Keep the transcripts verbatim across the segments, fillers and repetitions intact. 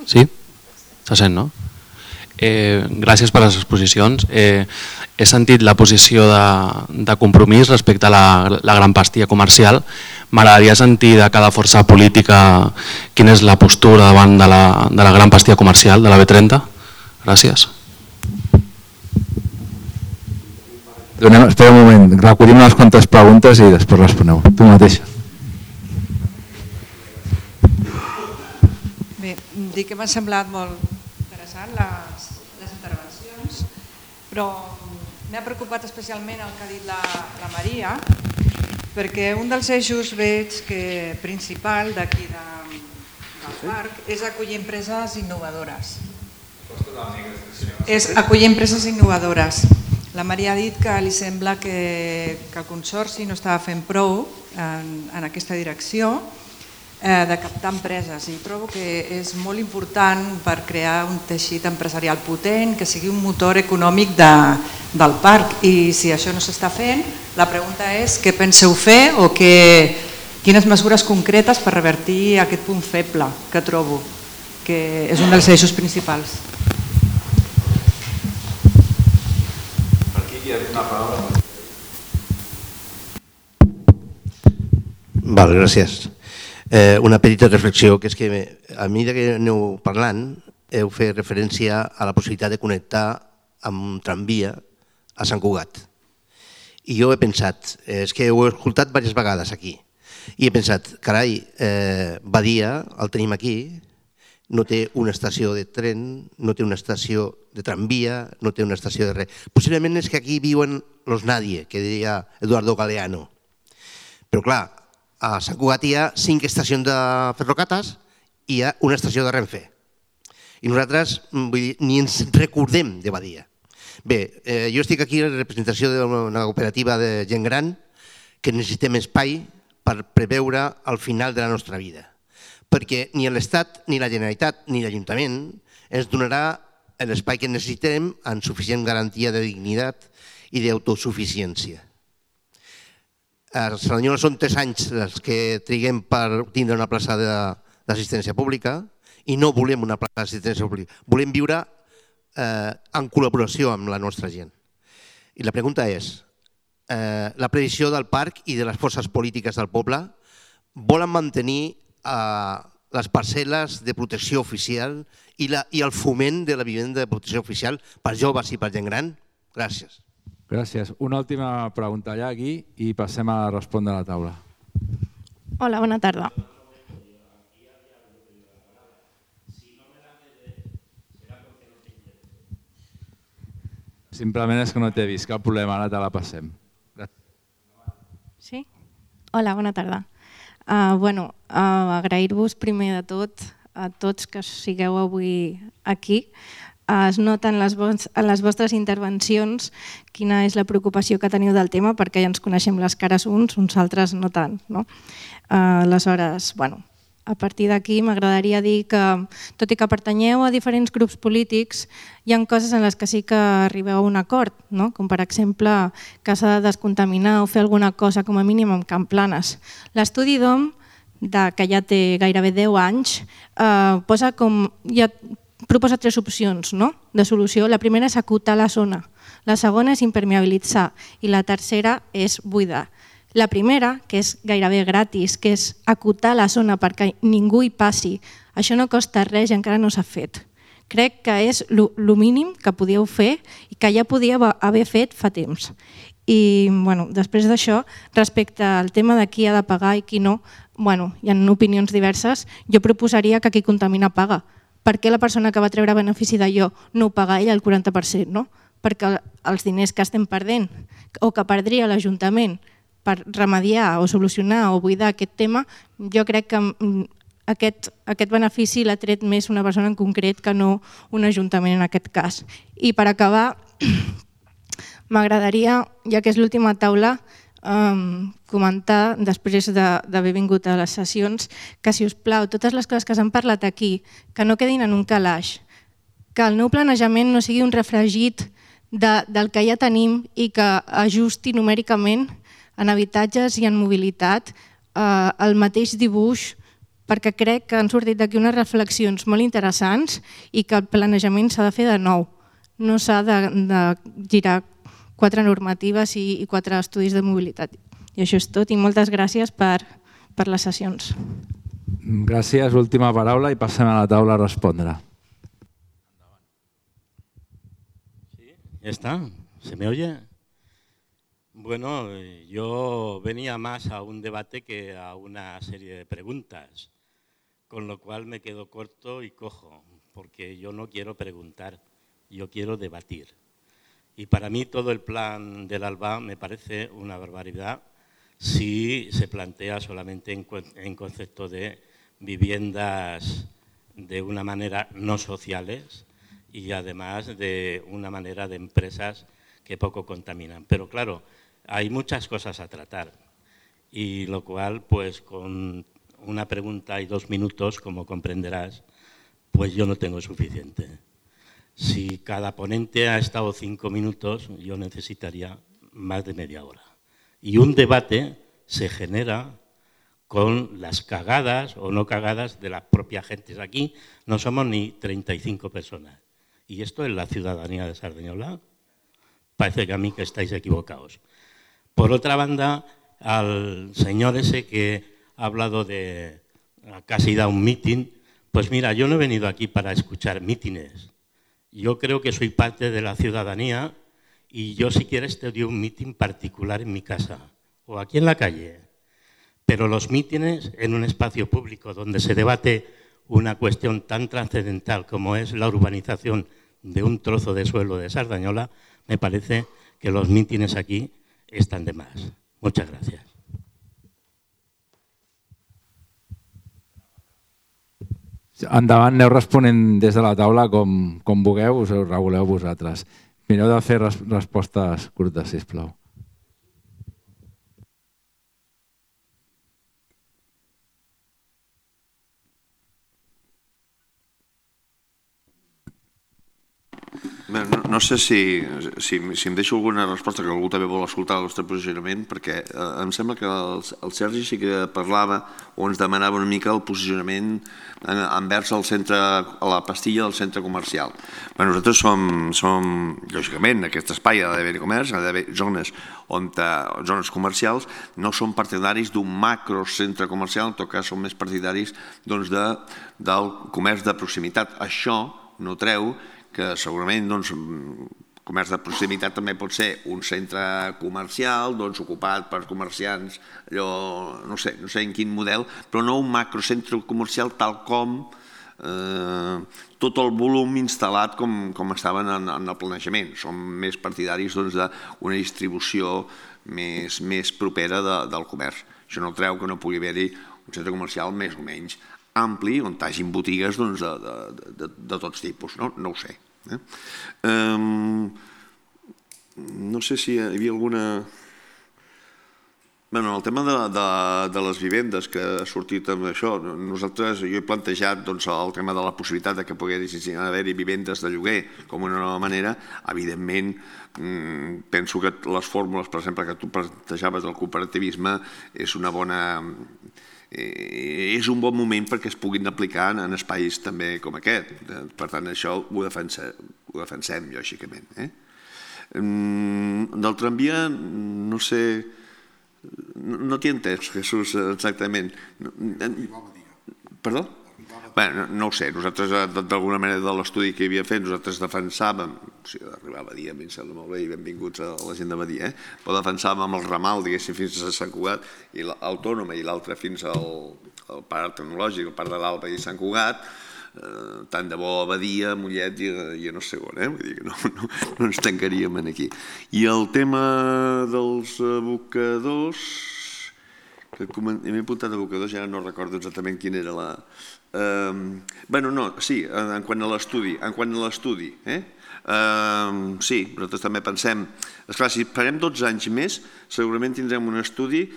Sí? Se sent, no? Eh, gràcies per les exposicions. Eh, he sentit la posició de, de compromís respecte a la, la gran pastia comercial. M'agradaria sentir de cada força política quina és la postura davant de la, de la gran pastia comercial de la B trenta. Gràcies. Donem, espera un moment, recollim unes quantes preguntes i després responeu. Tu mateixa. Bé, dic que m'han semblat molt interessant les, les intervencions, però m'ha preocupat especialment el que ha dit la, la Maria, perquè un dels eixos veig que principal d'aquí de, del parc és acollir empreses innovadores. És acollir empreses innovadores. La Maria ha dit que li sembla que, que el Consorci no estava fent prou en, en aquesta direcció eh, de captar empreses, i trobo que és molt important per crear un teixit empresarial potent, que sigui un motor econòmic de, del parc, i si això no s'està fent, la pregunta és què penseu fer o que, quines mesures concretes per revertir aquest punt feble que trobo, que és un dels eixos principals. Val, gràcies. Eh, una petita reflexió, que és que a mesura que aneu parlant heu fet referència a la possibilitat de connectar amb un tramvia a Sant Cugat. I jo he pensat, és que ho he escoltat diverses vegades aquí, i he pensat, carai, eh, Badia, el tenim aquí, no té una estació de tren, no té una estació de tramvia, no té una estació de res. Possiblement és que aquí viuen los nadie, que deia Eduardo Galeano. Però clar, a Sant Cugat hi ha cinc estacions de ferrocates i hi ha una estació de Renfe. I nosaltres vull dir, ni ens recordem de Badia. Bé, eh, jo estic aquí en representació d'una cooperativa de gent gran que necessitem espai per preveure el final de la nostra vida. Perquè ni l'Estat, ni la Generalitat, ni l'Ajuntament ens donarà l'espai que necessitem amb suficient garantia de dignitat i d'autosuficiència. A Cerdanyola són tres anys els que triguem per tindre una plaça d'assistència pública i no volem una plaça d'assistència pública. Volem viure eh, en col·laboració amb la nostra gent. I la pregunta és, eh, la previsió del parc i de les forces polítiques del poble volen mantenir eh, les parcel·les de protecció oficial i, la, i el foment de la vivenda de protecció oficial per joves i per gent gran? Gràcies. Gràcies. Una última pregunta allà aquí i passem a respondre a la taula. Hola, bona tarda. Simplement és que no t'he vist, cap problema, ara te la passem. Sí? Hola, bona tarda. Uh, bueno, uh, agrair-vos primer de tot a tots que sigueu avui aquí. Es nota en les, en les vostres intervencions quina és la preocupació que teniu del tema, perquè ja ens coneixem les cares uns, uns altres no tant. No? Uh, aleshores, bueno, a partir d'aquí m'agradaria dir que, tot i que pertanyeu a diferents grups polítics, hi ha coses en les que sí que arribeu a un acord, no? Com per exemple que s'ha de descontaminar o fer alguna cosa com a mínim amb Can Planes. L'estudi d'O M, que ja té gairebé deu anys, eh, posa com... Ja, proposa tres opcions, no? De solució. La primera és acotar la zona, la segona és impermeabilitzar i la tercera és buidar. La primera, que és gairebé gratis, que és acotar la zona perquè ningú hi passi, això no costa res i encara no s'ha fet. Crec que és el mínim que podíeu fer i que ja podíeu haver fet fa temps. I bueno, després d'això, respecte al tema de qui ha de pagar i qui no, bueno, hi ha opinions diverses, jo proposaria que qui contamina paga. Per què la persona que va treure benefici d'allò no ho paga ell el quaranta per cent? No? Perquè els diners que estem perdent o que perdria l'Ajuntament per remediar o solucionar o buidar aquest tema, jo crec que aquest, aquest benefici l'ha tret més una persona en concret que no un Ajuntament en aquest cas. I per acabar, m'agradaria, ja que és l'última taula, Um, comentar, després d'haver vingut a les sessions, que si us plau, totes les coses que s'han parlat aquí, que no quedin en un calaix, que el nou planejament no sigui un refregit de, del que ja tenim i que ajusti numèricament en habitatges i en mobilitat eh, el mateix dibuix perquè crec que han sortit d'aquí unes reflexions molt interessants i que el planejament s'ha de fer de nou. No s'ha de, de girar quatre normatives i, i quatre estudis de mobilitat. I això és tot i moltes gràcies per, per les sessions. Gràcies. Última paraula i passem a la taula a respondre. Sí, ya está. ¿Se me oye? Bueno, yo venía más a un debate que a una serie de preguntas, con lo cual me quedo corto y cojo, porque yo no quiero preguntar, yo quiero debatir. Y para mí todo el plan del ALBA me parece una barbaridad si se plantea solamente en, en concepto de viviendas de una manera no sociales y además de una manera de empresas que poco contaminan. Pero claro, hay muchas cosas a tratar y lo cual, pues con una pregunta y dos minutos, como comprenderás, pues yo no tengo suficiente. Si cada ponente ha estado cinco minutos, yo necesitaría más de media hora. Y un debate se genera con las cagadas o no cagadas de las propias gentes. Aquí no somos ni treinta y cinco personas. ¿Y esto es la ciudadanía de Sardañola? Parece que a mí que estáis equivocados. Por otra banda, al señor ese que ha hablado de casi da un meeting, pues mira, yo no he venido aquí para escuchar mítines. Yo creo que soy parte de la ciudadanía y yo si quieres te doy un meeting particular en mi casa o aquí en la calle. Pero los mítines en un espacio público donde se debate una cuestión tan trascendental como es la urbanización de un trozo de suelo de Sardañola, me parece que los mítines aquí están de más. Muchas gracias. Endavant, aneu responent des de la taula com, com vulgueu, us ho reguleu vosaltres. Mireu de fer res, respostes curtes, sisplau. Bé, no, no sé si, si, si em deixo alguna resposta, que algú també vol escoltar el nostre posicionament, perquè eh, em sembla que el, el Sergi sí que parlava o ens demanava una mica el posicionament en, envers el centre, a la pastilla del centre comercial. Bé, nosaltres som, som, lògicament, en aquest espai ha d'haver comerç, ha d'haver zones, on, zones comercials, no som partidaris d'un macro centre comercial, en tot cas som més partidaris doncs, de, del comerç de proximitat. Això no treu que segurament doncs, comerç de proximitat també pot ser un centre comercial doncs, ocupat per comerciants, allò, no sé, no sé en quin model, però no un macrocentre comercial tal com eh, tot el volum instal·lat com, com estaven en, en el planejament. Som més partidaris doncs, d'una distribució més, més propera de, del comerç. Això no treu que no pugui haver-hi un centre comercial més o menys ampli, on hi hagi botigues doncs, de, de, de, de tots tipus, no, no ho sé. Eh? Um, no sé si hi havia alguna... Bueno, el tema de, de, de les vivendes que ha sortit amb això, nosaltres, jo he plantejat doncs, el tema de la possibilitat de que poguessin haver-hi vivendes de lloguer com una nova manera. Evidentment, penso que les fórmules, per exemple, que tu plantejaves del cooperativisme és una bona... és un bon moment perquè es puguin aplicar en espais també com aquest. Per tant, això ho defensem, ho defensem lògicament. Eh? Del tramvia, no sé... No t'hi he entès, Jesús, exactament. Perdó? Bé, no ho sé, nosaltres d'alguna manera de l'estudi que hi havia fet, nosaltres defensàvem, o sigui, d'arribar a Badia, a mi em sembla molt bé i benvinguts a la gent de Badia, eh? però defensàvem amb el ramal, diguéssim, fins a Sant Cugat, i l'Autònoma i l'altre fins al, al Parc Tecnològic, el Parc de l'Alba i Sant Cugat, eh, tant de bo a Badia, Mollet i, i a no sé on, eh? Vull dir que no, no, no ens tancaríem aquí. I el tema dels abocadors, que m'he apuntat abocadors, ja no recordo exactament quina era la... Uh, bueno, no, sí, en quant a l'estudi, en quant a l'estudi, eh? Uh, sí, nosaltres també pensem, esclar, si farem dotze anys més, segurament tindrem un estudi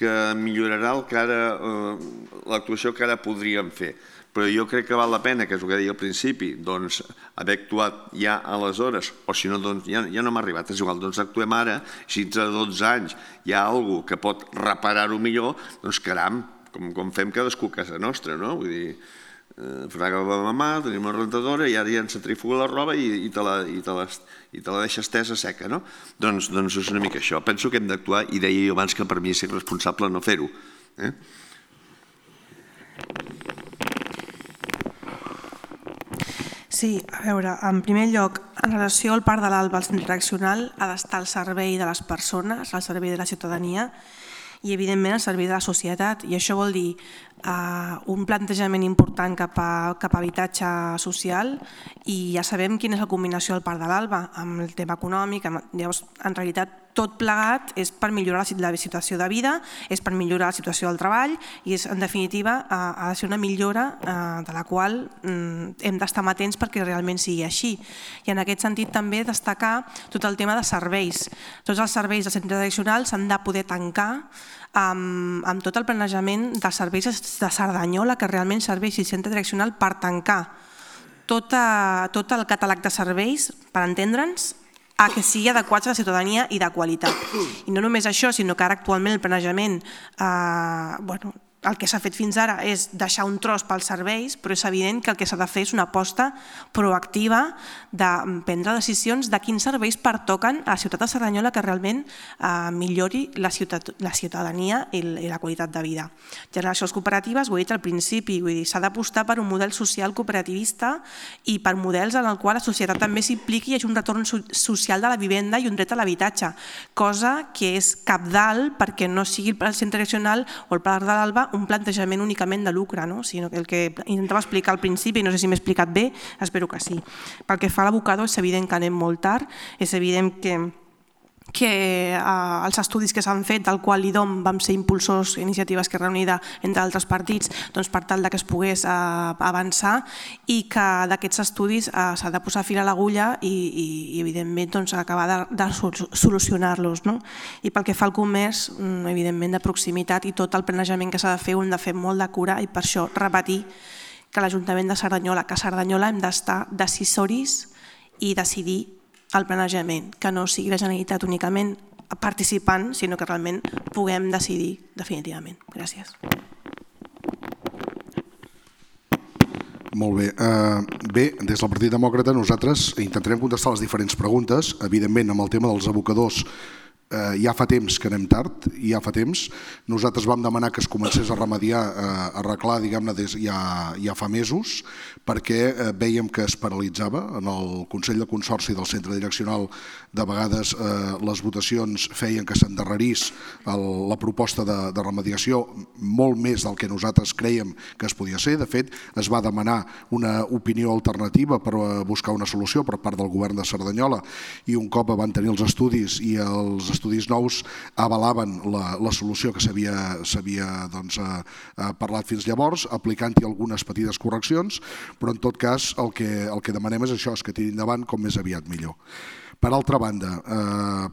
que millorarà el que ara, uh, l'actuació que ara podríem fer. Però jo crec que val la pena, que és el que deia al principi, doncs haver actuat ja aleshores, o si no, doncs ja, ja no m'ha arribat, és igual, doncs actuem ara, si entre dotze anys hi ha alguna cosa que pot reparar-ho millor, doncs caram, com fem cadascú a casa nostra, no? Vull dir, fraga la mamà, tenim una rentadora i ara ja ens centrifuga la roba i te la deixa estesa seca, no? Doncs és una mica això. Penso que hem d'actuar i deia jo abans que per mi és irresponsable no fer-ho. Sí, a veure, en primer lloc, en relació al Parc de l'Alba, el centre direccional ha d'estar al servei de les persones, al servei de la ciutadania i, evidentment, al servei de la societat. I això vol dir un plantejament important cap a habitatge social i ja sabem quina és la combinació del Parc de l'Alba amb el tema econòmic. Llavors, en realitat, tot plegat és per millorar la situació de vida, és per millorar la situació del treball i és, en definitiva, ha de ser una millora de la qual hem d'estar amatents perquè realment sigui així. I en aquest sentit també destacar tot el tema de serveis. Tots els serveis del centre direccional s'han de poder tancar amb tot el planejament dels serveis de Cerdanyola, que realment serveix el centre direccional per tancar tot el catàleg de serveis, per entendre'ns, a que sigui adequats a la ciutadania i de qualitat. I no només això, sinó que ara actualment el planejament, bueno, el que s'ha fet fins ara és deixar un tros pels serveis, però és evident que el que s'ha de fer és una aposta proactiva de prendre decisions de quins serveis pertoquen a la ciutat de Cerdanyola que realment millori la ciutadania i la qualitat de vida. Generacions cooperatives, ho he dit al principi, s'ha d'apostar per un model social cooperativista i per models en el qual la societat també s'impliqui i hi hagi un retorn social de la vivenda i un dret a l'habitatge, cosa que és cabdal perquè no sigui el centre direccional o el Parc de l'Alba un plantejament únicament de lucre, sinó que el que intentava explicar al principi, no sé si m'he explicat bé, espero que sí. Pel que fa a l'abocador, és evident que anem molt tard, és evident que que els estudis que s'han fet, del qual l'I D O M vam ser impulsors, iniciatives que reunida entre altres partits, per tal que es pogués avançar i que d'aquests estudis s'ha de posar fil a l'agulla i evidentment acabar de solucionar-los. I pel que fa al comerç, evidentment de proximitat i tot el planejament que s'ha de fer ho hem de fer molt de cura i per això repetir que l'Ajuntament de Cerdanyola, que a Cerdanyola hem d'estar decisoris i decidir el planejament, que no sigui la Generalitat únicament participant, sinó que realment puguem decidir definitivament. Gràcies. Molt bé. Bé, des del Partit Demòcrata nosaltres intentarem contestar les diferents preguntes. Evidentment, amb el tema dels abocadors ja fa temps que anem tard, ja fa temps. Nosaltres vam demanar que es comencés a remediar, a arreglar, diguem-ne, ja fa mesos, perquè vèiem que es paralitzava. En el Consell de Consorci del Centre Direccional, de vegades les votacions feien que s'endarrerís la proposta de remediació molt més del que nosaltres crèiem que es podia ser. De fet, es va demanar una opinió alternativa per buscar una solució per part del govern de Cerdanyola i un cop van tenir els estudis i els estudis estudis nous avalaven la solució que s'havia parlat fins llavors, aplicant-hi algunes petites correccions, però en tot cas el que demanem és això, és que tiri endavant com més aviat millor. Per altra banda,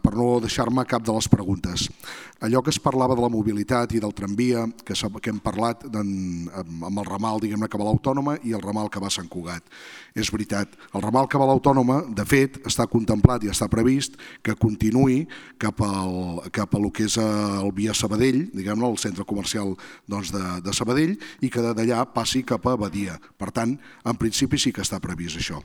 per no deixar-me cap de les preguntes, allò que es parlava de la mobilitat i del tramvia, que hem parlat amb el ramal que va a l'Autònoma i el ramal que va a Sant Cugat. És veritat, el ramal que va a l'Autònoma, de fet, està contemplat i està previst que continuï cap al que és el Via Sabadell, diguem-ne, el centre comercial de Sabadell, i que d'allà passi cap a Badia. Per tant, en principi sí que està previst això.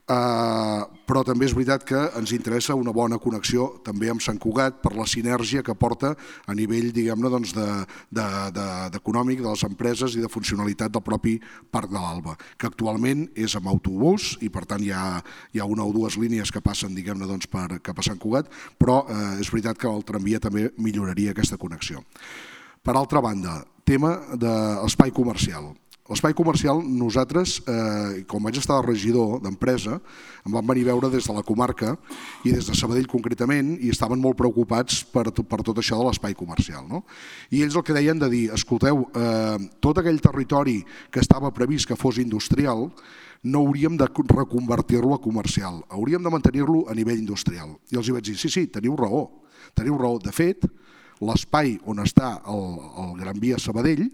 Però també és veritat que ens interessa una bona connexió també amb Sant Cugat per la sinergia que porta a nivell, diguem-ne, d'econòmic de les empreses i de funcionalitat del propi Parc de l'Alba, que actualment és amb autobús i per tant hi ha una o dues línies que passen, diguem-ne, cap a Sant Cugat, però és veritat que el tramvia també milloraria aquesta connexió. Per altra banda, tema de l'espai comercial. L'espai comercial, nosaltres, com vaig estar de regidor d'empresa, em van venir a veure des de la comarca i des de Sabadell concretament i estaven molt preocupats per tot això de l'espai comercial. I ells el que deien de dir, escolteu, tot aquell territori que estava previst que fos industrial no hauríem de reconvertir-lo a comercial, hauríem de mantenir-lo a nivell industrial. I els vaig dir, sí, sí, teniu raó, teniu raó. De fet, l'espai on està el Gran Via Sabadell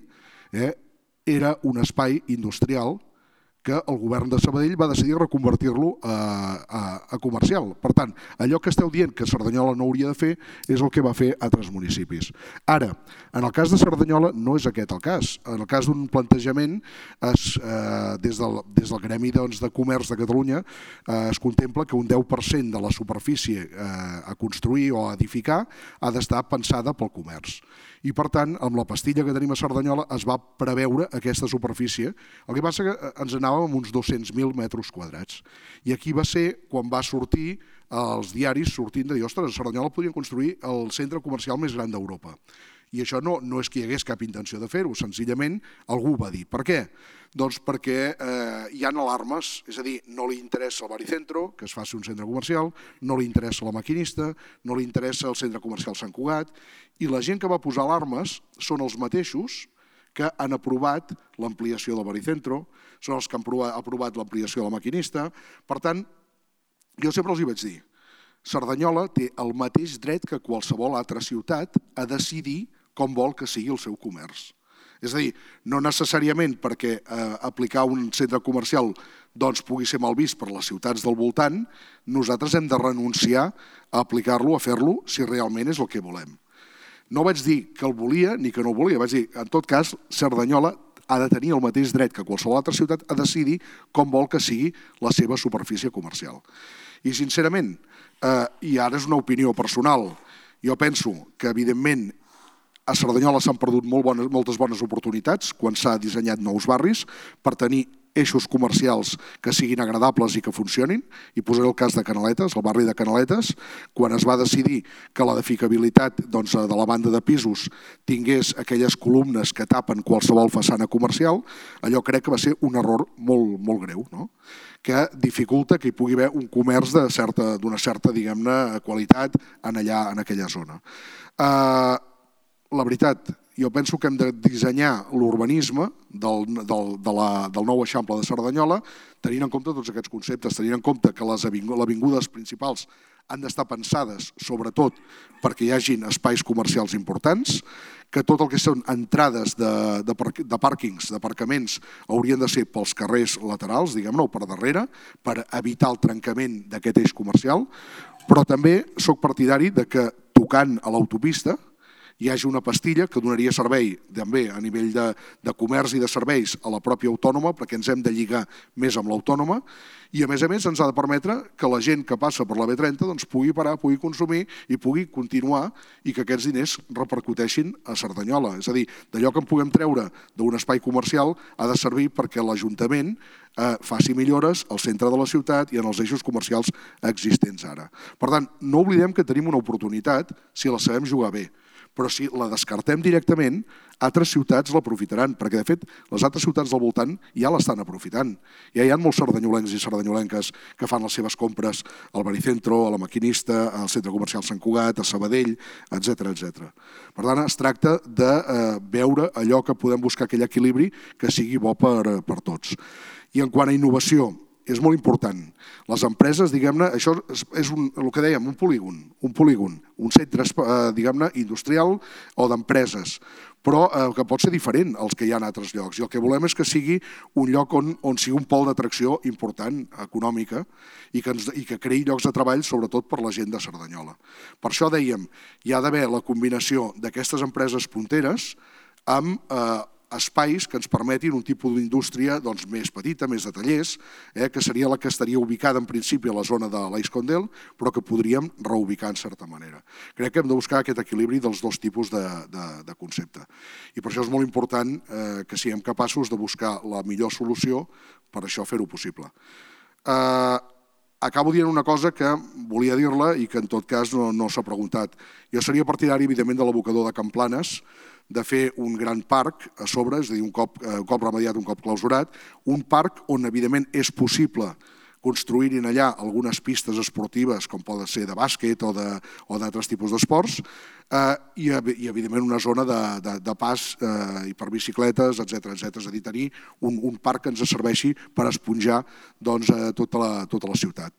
era un espai industrial que el govern de Sabadell va decidir reconvertir-lo a, a, a comercial. Per tant, allò que esteu dient que Cerdanyola no hauria de fer és el que va fer altres municipis. Ara, en el cas de Cerdanyola no és aquest el cas. En el cas d'un plantejament, es, eh, des, del, des del Gremi doncs, de Comerç de Catalunya eh, es contempla que un deu per cent de la superfície eh, a construir o a edificar ha d'estar pensada pel comerç. I per tant, amb la pastilla que tenim a Cerdanyola es va preveure aquesta superfície. El que passa que ens anàvem amb uns dos-cents mil metres quadrats. I aquí va ser quan va sortir els diaris sortint de dir, ostres, a Cerdanyola podrien construir el centre comercial més gran d'Europa. I això no, no és que hi hagués cap intenció de fer-ho, senzillament algú va dir. Per què? Doncs perquè eh, hi ha alarmes, és a dir, no li interessa el Baricentro, que es faci un centre comercial, no li interessa la Maquinista, no li interessa el centre comercial Sant Cugat, i la gent que va posar alarmes són els mateixos que han aprovat l'ampliació del Baricentro, són els que han aprovat l'ampliació de la Maquinista. Per tant, jo sempre els hi vaig dir, Cerdanyola té el mateix dret que qualsevol altra ciutat a decidir com vol que sigui el seu comerç. És a dir, no necessàriament perquè eh, aplicar un centre comercial doncs, pugui ser mal vist per les ciutats del voltant, nosaltres hem de renunciar a aplicar-lo, a fer-lo, si realment és el que volem. No vaig dir que el volia ni que no el volia, vaig dir, en tot cas, Cerdanyola ha de tenir el mateix dret que qualsevol altra ciutat a decidir com vol que sigui la seva superfície comercial. I sincerament, eh, i ara és una opinió personal, jo penso que evidentment a Cerdanyola s'han perdut molt bones, moltes bones oportunitats quan s'ha dissenyat nous barris per tenir eixos comercials que siguin agradables i que funcionin. I posaré el cas de Canaletes, el barri de Canaletes, quan es va decidir que l'edificabilitat doncs, de la banda de pisos tingués aquelles columnes que tapen qualsevol façana comercial, allò crec que va ser un error molt, molt greu, no? Que dificulta que hi pugui haver un comerç d'una certa, certa diguem-ne, qualitat en, allà, en aquella zona. Uh, La veritat, jo penso que hem de dissenyar l'urbanisme del, del, de la, del nou eixample de Cerdanyola tenint en compte tots aquests conceptes, tenint en compte que les avingudes principals han d'estar pensades sobretot perquè hi hagin espais comercials importants, que tot el que són entrades de, de, de pàrquings, d'aparcaments, haurien de ser pels carrers laterals, diguem-ne, o per darrere, per evitar el trencament d'aquest eix comercial, però també soc partidari de que tocant a l'autopista hi hagi una pastilla que donaria servei també a nivell de, de comerç i de serveis a la pròpia autònoma, perquè ens hem de lligar més amb l'autònoma, i a més a més ens ha de permetre que la gent que passa per la B trenta doncs, pugui parar, pugui consumir i pugui continuar i que aquests diners repercuteixin a Cerdanyola. És a dir, d'allò que en puguem treure d'un espai comercial ha de servir perquè l'Ajuntament eh, faci millores al centre de la ciutat i en els eixos comercials existents ara. Per tant, no oblidem que tenim una oportunitat si la sabem jugar bé, però si la descartem directament, altres ciutats l'aprofitaran, perquè de fet les altres ciutats del voltant ja l'estan aprofitant. Ja hi ha molts cerdanyolencs i cerdanyolenques que fan les seves compres al Baricentro, a la Maquinista, al Centre Comercial Sant Cugat, a Sabadell, etcètera etcètera. Per tant, es tracta de eh, veure allò que podem buscar aquell equilibri que sigui bo per, per tots. I en quant a innovació, és molt important. Les empreses, diguem-ne, això és un, el que dèiem, un polígon, un polígon, un centre, diguem-ne, industrial o d'empreses, però eh, que pot ser diferent als que hi ha en altres llocs. I el que volem és que sigui un lloc on, on sigui un pol d'atracció important, econòmica, i que, ens, i que creï llocs de treball, sobretot per la gent de Cerdanyola. Per això dèiem, hi ha d'haver la combinació d'aquestes empreses punteres amb eh, espais que ens permetin un tipus d'indústria doncs, més petita, més de tallers, eh, que seria la que estaria ubicada en principi a la zona de l'Aix-Condel, però que podríem reubicar en certa manera. Crec que hem de buscar aquest equilibri dels dos tipus de, de, de concepte. I per això és molt important eh, que siguem capaços de buscar la millor solució per això fer-ho possible. Eh, acabo dient una cosa que volia dir-la i que en tot cas no, no s'ha preguntat. Jo seria partidari, evidentment, de l'abocador de Can Planes, de fer un gran parc a sobre, és a dir, un cop, un cop remediat, un cop clausurat, un parc on, evidentment, és possible construir-hi allà algunes pistes esportives, com poden ser de bàsquet o d'altres tipus d'esports, eh, i, i, evidentment, una zona de, de, de pas eh, i per bicicletes, etcètera etcètera. És a dir, tenir un, un parc que ens serveixi per esponjar doncs, eh, tota, la, tota la ciutat.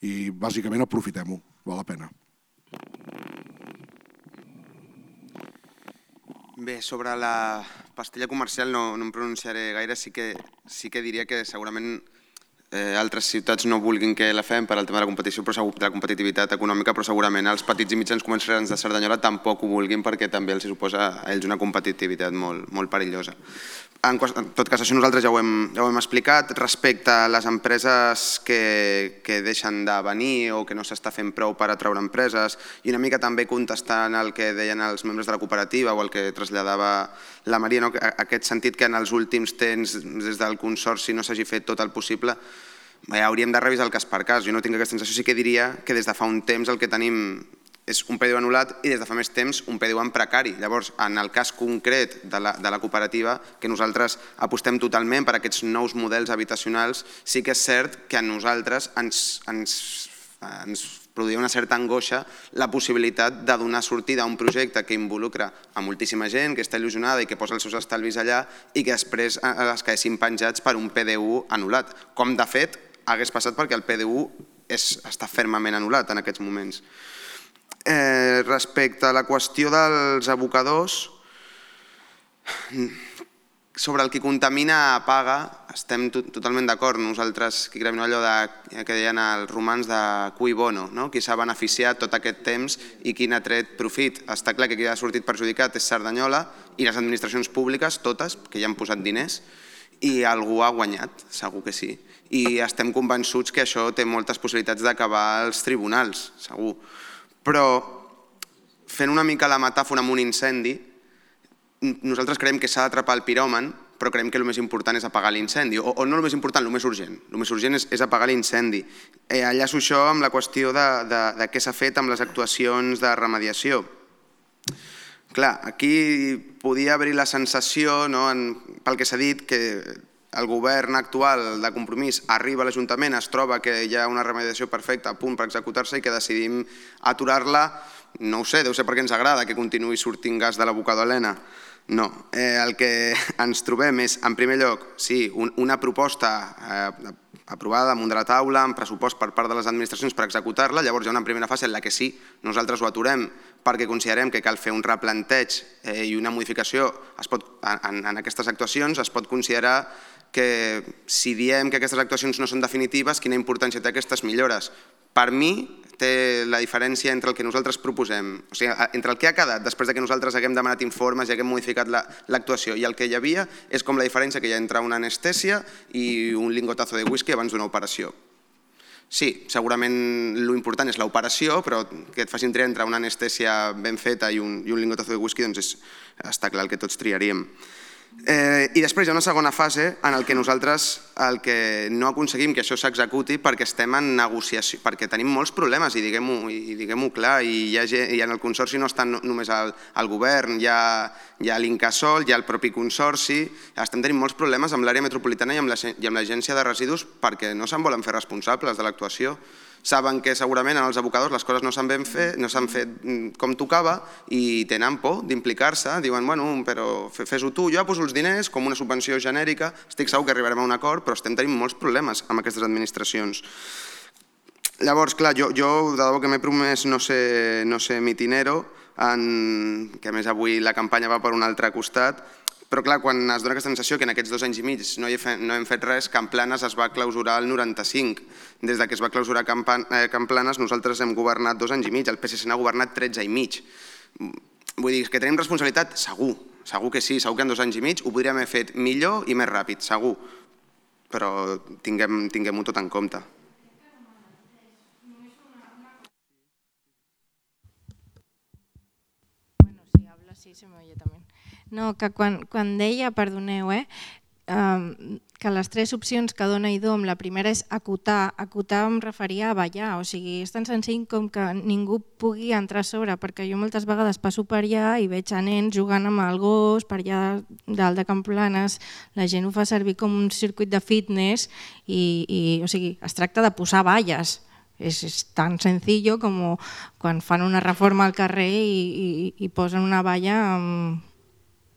I, bàsicament, aprofitem-ho, val la pena. Bé, sobre la pastilla comercial no, no em pronunciaré gaire, sí que, sí que diria que segurament eh, altres ciutats no vulguin que la fem per al tema de la competició, però segur, de la competitivitat econòmica, però segurament els petits i mitjans comerciants de Cerdanyola tampoc ho vulguin perquè també els suposa a ells una competitivitat molt, molt perillosa. En, en tot cas, això nosaltres ja ho hem, ja ho hem explicat. Respecte a les empreses que, que deixen de venir o que no s'està fent prou per atraure empreses, i una mica també contestant el que deien els membres de la cooperativa o el que traslladava la Maria, no? Aquest sentit que en els últims temps des del Consorci no s'hagi fet tot el possible, ja hauríem de revisar el cas per cas. Jo no tinc aquesta sensació, sí que diria que des de fa un temps el que tenim és un P D U anul·lat i des de fa més temps un P D U en precari. Llavors, en el cas concret de la, de la cooperativa, que nosaltres apostem totalment per aquests nous models habitacionals, sí que és cert que a nosaltres ens, ens, ens produïa una certa angoixa la possibilitat de donar sortida a un projecte que involucra a moltíssima gent, que està il·lusionada i que posa els seus estalvis allà i que després es quedessin penjats per un P D U anul·lat. Com de fet hagués passat perquè el P D U és, està fermament anul·lat en aquests moments. Eh, respecte a la qüestió dels abocadors, sobre el qui contamina paga, estem totalment d'acord. Nosaltres, que creiem allò de, que deien els romans de cui bono, no? Qui s'ha beneficiat tot aquest temps i qui n'ha tret profit. Està clar que qui ha sortit perjudicat és Cerdanyola i les administracions públiques, totes, que ja han posat diners, i algú ha guanyat, segur que sí. I estem convençuts que això té moltes possibilitats d'acabar als tribunals, segur. Però, fent una mica la metàfora amb un incendi, nosaltres creiem que s'ha d'atrapar el piròman, però creiem que el més important és apagar l'incendi. O, o no el més important, el més urgent. El més urgent és, és apagar l'incendi. Eh, enllaço això amb la qüestió de, de, de què s'ha fet amb les actuacions de remediació. Clar, aquí podia haver-hi la sensació, no, en, pel que s'ha dit, que el govern actual de Compromís arriba a l'Ajuntament, es troba que hi ha una remediació perfecta a punt per executar-se i que decidim aturar-la. No ho sé, deu ser perquè ens agrada que continuï sortint gas de l'abocador Helena. No, eh, el que ens trobem és, en primer lloc, sí, un, una proposta eh, aprovada damunt de la taula, amb pressupost per part de les administracions per executar-la. Llavors hi ha una primera fase en la que sí, nosaltres ho aturem perquè considerem que cal fer un replanteig eh, i una modificació es pot, en, en aquestes actuacions. Es pot considerar que si diem que aquestes actuacions no són definitives, quina importància té aquestes millores. Per mi, té la diferència entre el que nosaltres proposem, o sigui, entre el que ha quedat després que nosaltres haguem demanat informes i haguem modificat l'actuació i el que hi havia, és com la diferència que hi ha entre una anestèsia i un lingotazo de whisky abans d'una operació. Sí, segurament l'important és l'operació, però que et facin triar entre una anestèsia ben feta i un, i un lingotazo de whisky, doncs és, està clar el que tots triaríem. Eh, I després hi ha una segona fase en el que nosaltres el que no aconseguim que això s'executi perquè estem en negociació, perquè tenim molts problemes i diguem-ho i diguem-ho clar, i, hi ha, i en el Consorci no està només el, el govern, hi ha, hi ha l'Incasòl, hi ha el propi Consorci, estem tenint molts problemes amb l'àrea metropolitana i amb l'Agència de Residus perquè no se'n volen fer responsables de l'actuació. Saben que segurament en els abocadors les coses no s'han ben fet, no s'han fet com tocava i tenen por d'implicar-se, diuen, bueno, però fes-ho tu, jo poso els diners com una subvenció genèrica, estic segur que arribarem a un acord, però estem tenint molts problemes amb aquestes administracions. Llavors, clar, jo, jo de debò que m'he promès no ser, no ser mitinero, en, que a més avui la campanya va per un altre costat, però clar, quan es dona aquesta sensació que en aquests dos anys i mig no, fe, no hem fet res, Camp Planes es va clausurar el noranta-cinc. Des que es va clausurar Camp, eh, Camp Planes nosaltres hem governat dos anys i mig, el P S C n'ha governat tretze i mig. Vull dir, que tenim responsabilitat? Segur, segur que sí, segur que en dos anys i mig ho podríem haver fet millor i més ràpid, segur. Però tinguem, tinguem-ho tot en compte. Bueno, si habla sí, se me oye también. No, que quan, quan deia, perdoneu, eh, eh, que les tres opcions que dona I D O M, la primera és acotar, acotar em referia a ballar, o sigui, és tan senzill com que ningú pugui entrar a sobre, perquè jo moltes vegades passo per allà i veig a nens jugant amb el gos, per allà dalt de Camp Planes, la gent ho fa servir com un circuit de fitness i, i o sigui, es tracta de posar valles. És, és tan senzill com quan fan una reforma al carrer i, i, i posen una valla amb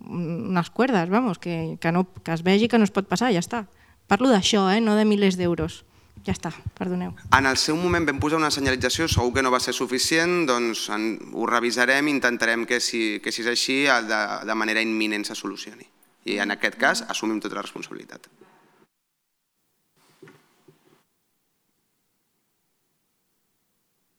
unes cuerdes, vamos, que, que, no, que es vegi que no es pot passar, ja està. Parlo d'això, eh, no de milers d'euros. Ja està, perdoneu. En el seu moment vam posar una senyalització, segur que no va ser suficient, doncs en, ho revisarem i intentarem que si, que si és així de, de manera imminent se solucioni. I en aquest cas assumim tota la responsabilitat.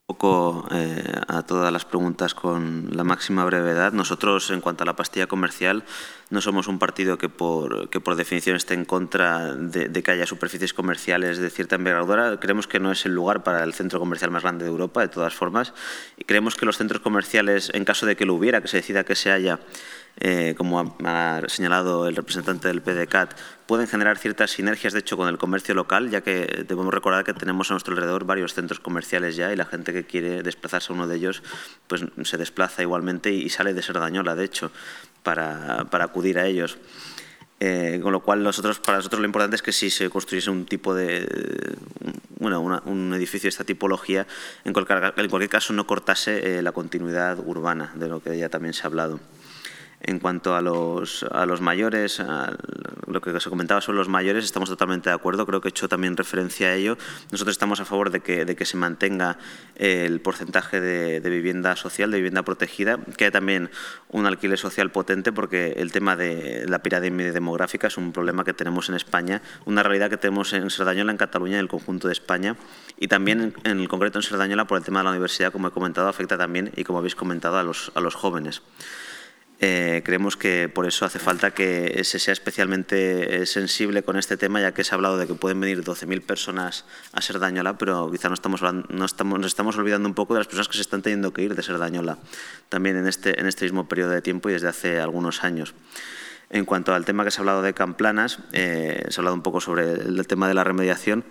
Poco eh, a todas las preguntas con la máxima brevedad. Nosotros, en cuanto a la pastilla comercial, no somos un partido que por, que por definición esté en contra de, de que haya superficies comerciales de cierta envergadura. Creemos que no es el lugar para el centro comercial más grande de Europa, de todas formas. Y creemos que los centros comerciales, en caso de que lo hubiera, que se decida que se haya, eh, como ha, ha señalado el representante del P D C A T, pueden generar ciertas sinergias, de hecho, con el comercio local, ya que debemos recordar que tenemos a nuestro alrededor varios centros comerciales ya y la gente que quiere desplazarse a uno de ellos pues se desplaza igualmente y sale de Cerdañola, de hecho, para, para acudir a ellos. Eh, con lo cual, nosotros, para nosotros lo importante es que si se construyese un tipo de, bueno, una, un edificio de esta tipología, en cualquier, en cualquier caso no cortase eh, la continuidad urbana, de lo que ya también se ha hablado. En cuanto a los, a los mayores, a lo que se comentaba sobre los mayores, estamos totalmente de acuerdo. Creo que he hecho también referencia a ello. Nosotros estamos a favor de que, de que se mantenga el porcentaje de, de vivienda social, de vivienda protegida, que haya también un alquiler social potente, porque el tema de la pirámide demográfica es un problema que tenemos en España, una realidad que tenemos en Cerdañola, en Cataluña y en el conjunto de España, y también en el concreto en Cerdañola por el tema de la universidad, como he comentado, afecta también, y como habéis comentado, a los, a los jóvenes. Eh, creemos que por eso hace falta que se sea especialmente sensible con este tema, ya que se ha hablado de que pueden venir doce mil personas a Cerdañola, pero quizá no estamos, no estamos, nos estamos olvidando un poco de las personas que se están teniendo que ir de Cerdañola también en este, en este mismo periodo de tiempo y desde hace algunos años. En cuanto al tema que se ha hablado de Camplanas, eh, se ha hablado un poco sobre el, el tema de la remediación.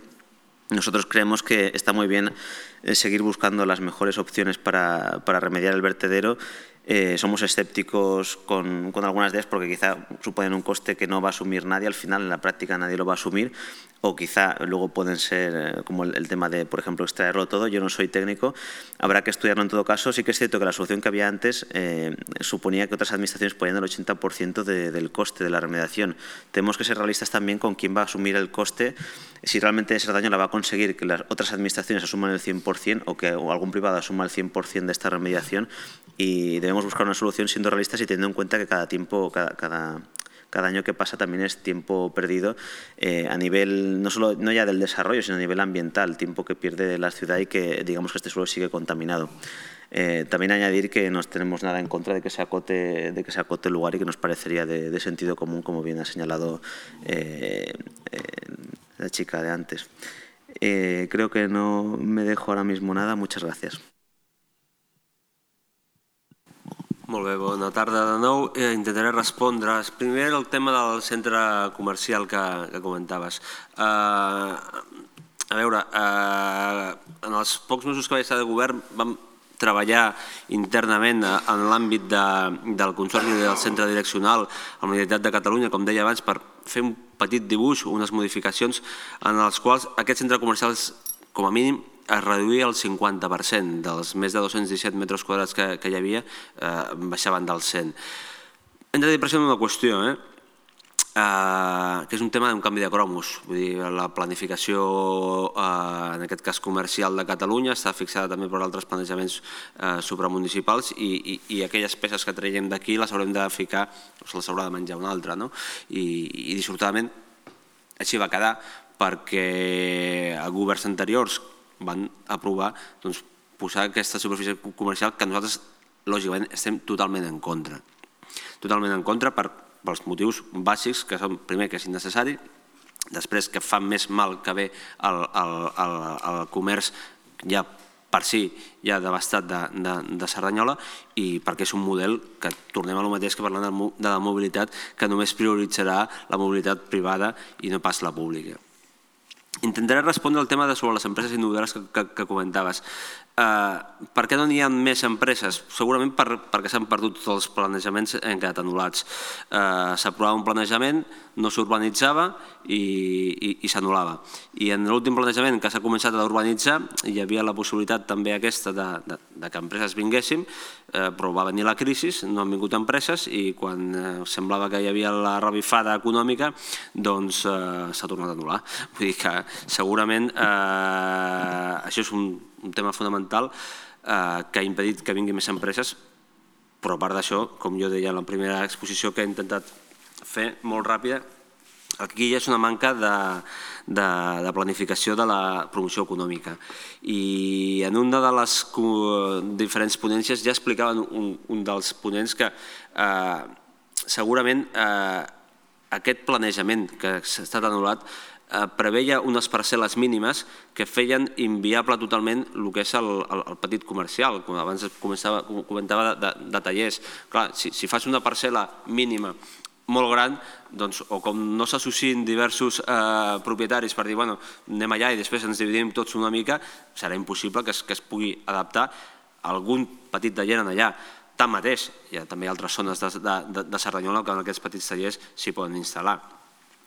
Nosotros creemos que está muy bien eh, seguir buscando las mejores opciones para, para remediar el vertedero. Eh, somos escépticos con, con algunas de ellas porque quizá suponen un coste que no va a asumir nadie, al final en la práctica nadie lo va a asumir, o quizá luego pueden ser eh, como el, el tema de, por ejemplo, extraerlo todo. Yo no soy técnico, habrá que estudiarlo en todo caso. Sí que es cierto que la solución que había antes eh, suponía que otras administraciones ponían el ochenta por ciento de, del coste de la remediación. Tenemos que ser realistas también con quién va a asumir el coste, si realmente Cerdañola va a conseguir que las otras administraciones asuman el cien por cien o que algún privado asuma el cien por cien de esta remediación, y debemos buscar una solución siendo realistas y teniendo en cuenta que cada tiempo, cada, cada, cada año que pasa también es tiempo perdido eh, a nivel, no solo no ya del desarrollo, sino a nivel ambiental, tiempo que pierde la ciudad y que digamos que este suelo sigue contaminado. Eh, también añadir que no tenemos nada en contra de que se acote, de que se acote el lugar y que nos parecería de, de sentido común, como bien ha señalado eh, eh, la chica de antes. Eh, creo que no me dejo ahora mismo nada. Muchas gracias. Molt bé, bona tarda de nou. Eh, intentaré respondre. Primer el tema del centre comercial que, que comentaves. Eh, a veure, eh, en els pocs mesos que vaig estar de govern vam treballar internament en l'àmbit de, del Consorci del Centre Direccional a la Universitat de Catalunya, com deia abans, per fer un petit dibuix, unes modificacions en els quals aquests centres comercials, com a mínim, es reduïa el cinquanta per cent dels més de dos-cents disset metres quadrats que, que hi havia, eh, baixaven del cent. Hem de dir pressió en una qüestió, eh? Uh, que és un tema d'un canvi de cromos. Vull dir, la planificació, uh, en aquest cas comercial de Catalunya, està fixada també per altres planejaments uh, supramunicipals i, i, i aquelles peces que traiem d'aquí les haurem de ficar, o se les haurà de menjar una altra, no? I, i dissortadament així va quedar perquè a governs anteriors van aprovar doncs, posar aquesta superfície comercial que nosaltres, lògicament, estem totalment en contra. Totalment en contra per pels motius bàsics, que són, primer, que és innecessari, després, que fa més mal que bé al, al, al, al comerç ja per si ja devastat de, de, de Cerdanyola, i perquè és un model que, tornem a lo mateix que parlant de la mobilitat, que només prioritzarà la mobilitat privada i no pas la pública. Intentaré respondre al tema de sobre les empreses innovadores que, que, que comentaves. Uh, per què no n'hi ha més empreses? Segurament per, perquè s'han perdut tots els planejaments i han quedat anul·lats. Uh, S'aprovava un planejament, no s'urbanitzava i, i, i s'anul·lava. I en l'últim planejament que s'ha començat a urbanitzar hi havia la possibilitat també aquesta de, de, de que empreses vinguessin, uh, però va venir la crisi, no han vingut empreses i quan uh, semblava que hi havia la revifada econòmica, doncs uh, s'ha tornat a anul·lar. Vull dir que segurament uh, això és un un tema fonamental eh, que ha impedit que vinguin més empreses, però a part d'això, com jo deia en la primera exposició, que he intentat fer molt ràpida. Aquí hi ha una manca de planificació de la promoció econòmica. I en una de les diferents ponències ja explicaven un dels ponents que segurament aquest planejament que s'ha estat anul·lat preveia unes parcel·les mínimes que feien inviable totalment el que és el petit comercial, com abans comentava de tallers. Clar, si fas una parcel·la mínima molt gran, o com no s'associen diversos propietaris per dir, bueno, anem allà i després ens dividim tots una mica, serà impossible que es pugui adaptar algun petit taller allà. Tanmateix, hi ha també altres zones de Cerdanyola que en aquests petits tallers s'hi poden instal·lar.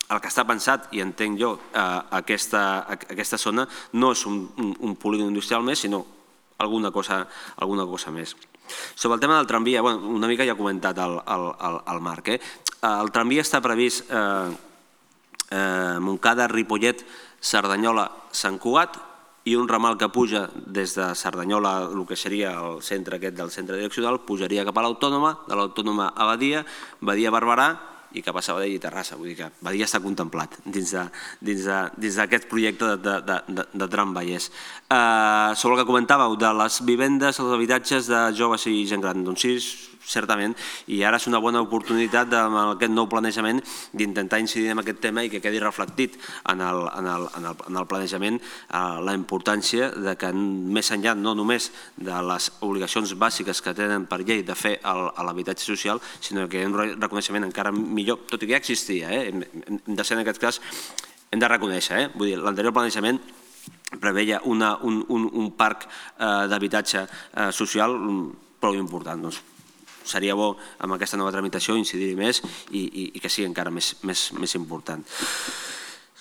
El que està pensat, i entenc jo, aquesta zona no és un polígon industrial més, sinó alguna cosa més. Sobre el tema del tramvia, una mica ja ha comentat el Marc. El tramvia està previst Montcada, Ripollet, Cerdanyola, Sant Cugat i un ramal que puja des de Cerdanyola, el que seria el centre aquest del centre direccional, pujaria cap a l'Autònoma, de l'Autònoma a Badia, Badia a Barberà, i cap a Sabadell i Terrassa. Vull dir que Badia està contemplat dins d'aquest projecte de tram Vallès. Sobre el que comentàveu de les vivendes, els habitatges de joves i gent gran, doncs sí, certament, i ara és una bona oportunitat amb aquest nou planejament d'intentar incidir en aquest tema i que quedi reflectit en el planejament la importància que més enllà no només de les obligacions bàsiques que tenen per llei de fer l'habitatge social, sinó que hi ha un reconeixement encara millor, tot i que ja existia, hem de ser en aquest cas, hem de reconèixer, vull dir, l'anterior planejament preveia un parc d'habitatge social prou important, doncs seria bo amb aquesta nova tramitació incidir-hi més i que sigui encara més important.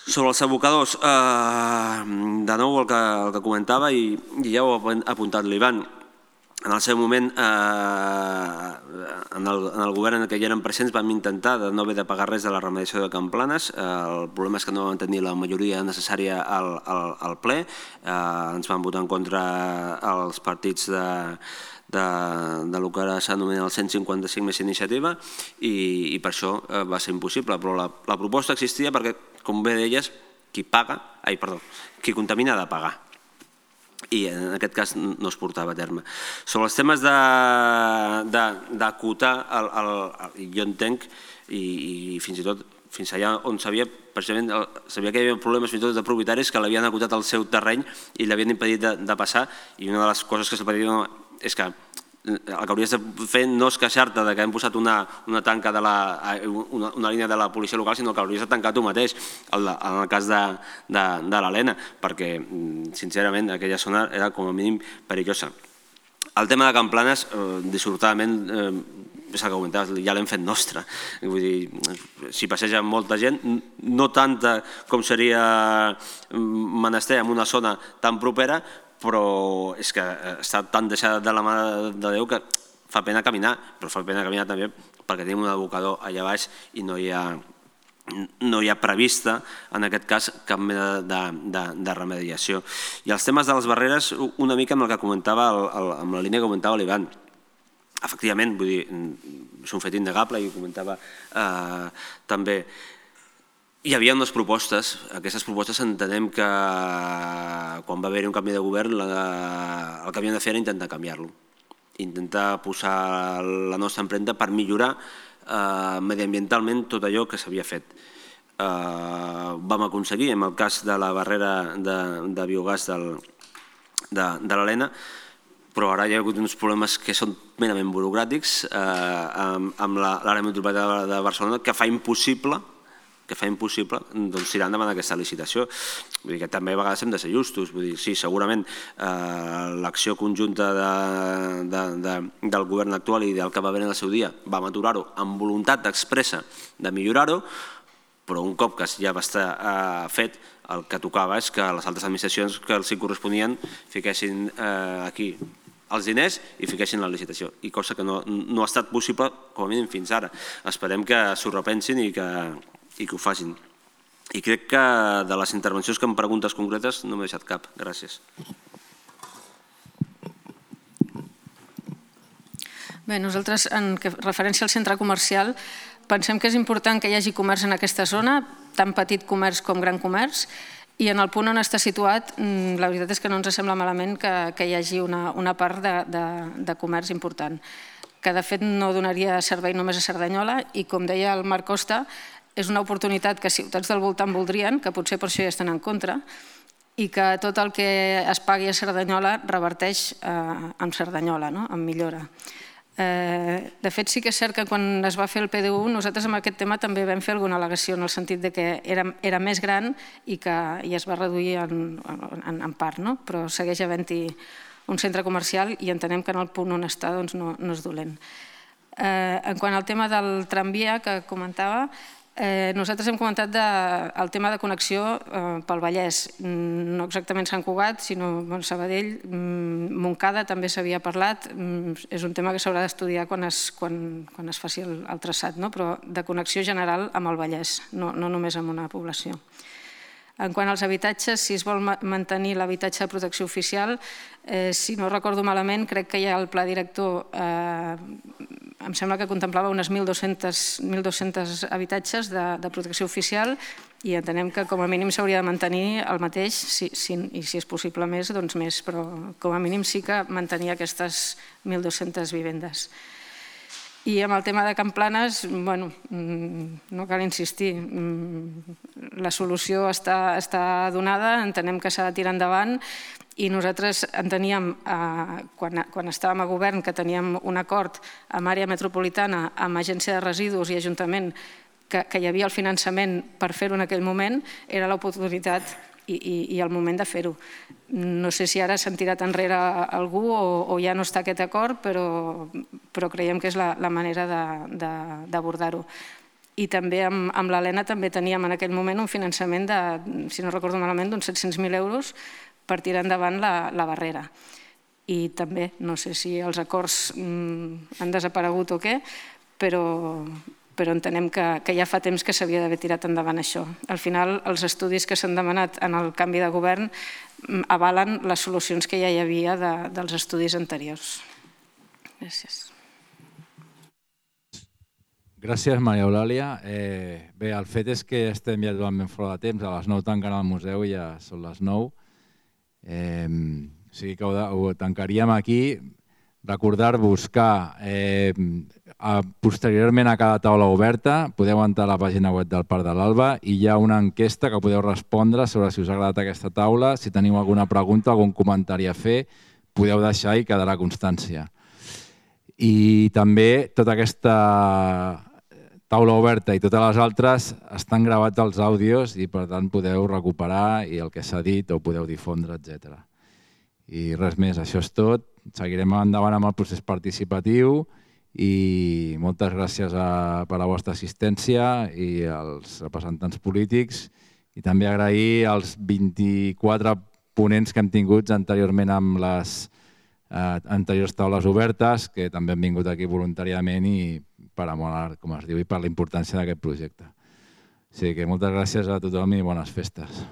Sobre els abocadors, de nou el que comentava i ja ho ha apuntat l'Ivan, en el seu moment en el govern en què hi eren presents vam intentar de no haver de pagar res de la remediació de Can Planes. El problema és que no vam tenir la majoria necessària al ple, ens van votar en contra els partits de del que ara s'anomena el cent cinquanta-cinc més iniciativa i per això va ser impossible, però la proposta existia perquè, com bé deies, qui paga, ai, perdó, qui contamina ha de pagar i en aquest cas no es portava a terme. Sobre els temes d'acotar, jo entenc i fins i tot fins allà on sabia precisament sabia que hi havia problemes fins i tot de propietaris que l'havien acotat al seu terreny i l'havien impedit de passar i una de les coses que se'l va dir és que el que hauries de fer no és queixar-te que hem posat una tanca de una línia de la policia local, sinó que hauries de tancar tu mateix en el cas de l'Helena, perquè sincerament aquella zona era com a mínim perillosa. El tema de Can Planes, dissortadament, és el que comentaves, ja l'hem fet nostre. Vull dir, s'hi passeja molta gent, no tanta com seria menester en una zona tan propera, però és que està tan deixada de la mà de Déu que fa pena caminar, però fa pena caminar també perquè tenim un abocador allà baix i no hi ha no hi ha prevista, en aquest cas, cap mena de remediació. I els temes de les barreres, una mica amb el que comentava, amb la línia que comentava l'Ivan. Efectivament, vull dir, és un fet innegable i ho comentava també. Hi havia unes propostes, aquestes propostes entenem que quan va haver-hi un canvi de govern el que havíem de fer era intentar canviar-lo, intentar posar la nostra empremta per millorar mediambientalment tot allò que s'havia fet. Vam aconseguir, en el cas de la barrera de biogàs de l'Helena, però ara hi ha hagut uns problemes que són merament burocràtics amb l'àrea metropolitana de Barcelona que fa impossible que fa impossible tirar endavant aquesta licitació. Vull dir que també a vegades hem de ser justos. Vull dir, sí, segurament l'acció conjunta del govern actual i del que va haver en el seu dia vam aturar-ho amb voluntat expressa de millorar-ho, però un cop que ja va estar fet, el que tocava és que les altres administracions que els hi corresponien fiquessin aquí els diners i fiquessin la licitació, i cosa que no ha estat possible com a mínim fins ara. Esperem que s'ho repensin i que i que ho facin. I crec que de les intervencions que em preguntes concretes no m'he deixat cap. Gràcies. Bé, nosaltres, en referència al centre comercial, pensem que és important que hi hagi comerç en aquesta zona, tant petit comerç com gran comerç, i en el punt on està situat, la veritat és que no ens sembla malament que hi hagi una part de comerç important, que de fet no donaria servei només a Cerdanyola i, com deia el Marc Costa, és una oportunitat que ciutats del voltant voldrien, que potser per això hi estan en contra, i que tot el que es pagui a Cerdanyola reverteix en Cerdanyola, en millora. De fet, sí que és cert que quan es va fer el P D U, nosaltres amb aquest tema també vam fer alguna al·legació en el sentit que era més gran i es va reduir en part, però segueix havent-hi un centre comercial i entenem que en el punt on està no és dolent. En quant al tema del tramvia que comentava, nosaltres hem comentat el tema de connexió pel Vallès, no exactament Sant Cugat, sinó Sabadell, Montcada també s'havia parlat, és un tema que s'haurà d'estudiar quan es faci el traçat, però de connexió general amb el Vallès, no només amb una població. En quant als habitatges, si es vol mantenir l'habitatge de protecció oficial, si no recordo malament, crec que hi ha el pla director, em sembla que contemplava unes mil dos-cents habitatges de protecció oficial i entenem que com a mínim s'hauria de mantenir el mateix i si és possible més, doncs més, però com a mínim sí que mantenir aquestes mil dos-centes vivendes. I amb el tema de Can Planes, bueno, no cal insistir, la solució està donada, entenem que s'ha de tirar endavant i nosaltres enteníem, quan estàvem a govern, que teníem un acord amb àrea metropolitana, amb agència de residus i ajuntament, que hi havia el finançament per fer-ho en aquell moment, era l'oportunitat i el moment de fer-ho. No sé si ara s'han tirat enrere algú o ja no està aquest acord, però creiem que és la manera d'abordar-ho. I també amb l'Helena també teníem en aquell moment un finançament de, si no recordo malament, d'uns set-cents mil euros per tirar endavant la barrera. I també, no sé si els acords han desaparegut o què, però però entenem que ja fa temps que s'havia d'haver tirat endavant això. Al final, els estudis que s'han demanat en el canvi de govern avalen les solucions que ja hi havia dels estudis anteriors. Gràcies. Gràcies, Maria Eulàlia. Bé, el fet és que estem ja totalment fora de temps. A les nou tanquen el museu i ja són les nou. O sigui que ho tancaríem aquí. Recordar-vos que posteriorment a cada taula oberta podeu entrar a la pàgina web del Parc de l'Alba i hi ha una enquesta que podeu respondre sobre si us ha agradat aquesta taula. Si teniu alguna pregunta, algun comentari a fer, podeu deixar i quedarà constància. I també tota aquesta taula oberta i totes les altres estan gravats els àudios i per tant podeu recuperar i el que s'ha dit ho podeu difondre, etcètera. I res més, això és tot. Seguirem endavant amb el procés participatiu i moltes gràcies per la vostra assistència i als representants polítics i també agrair als vint-i-quatre ponents que hem tingut anteriorment amb les anteriors taules obertes que també han vingut aquí voluntàriament i per amor, com es diu, i per la importància d'aquest projecte. O sigui que moltes gràcies a tothom i bones festes.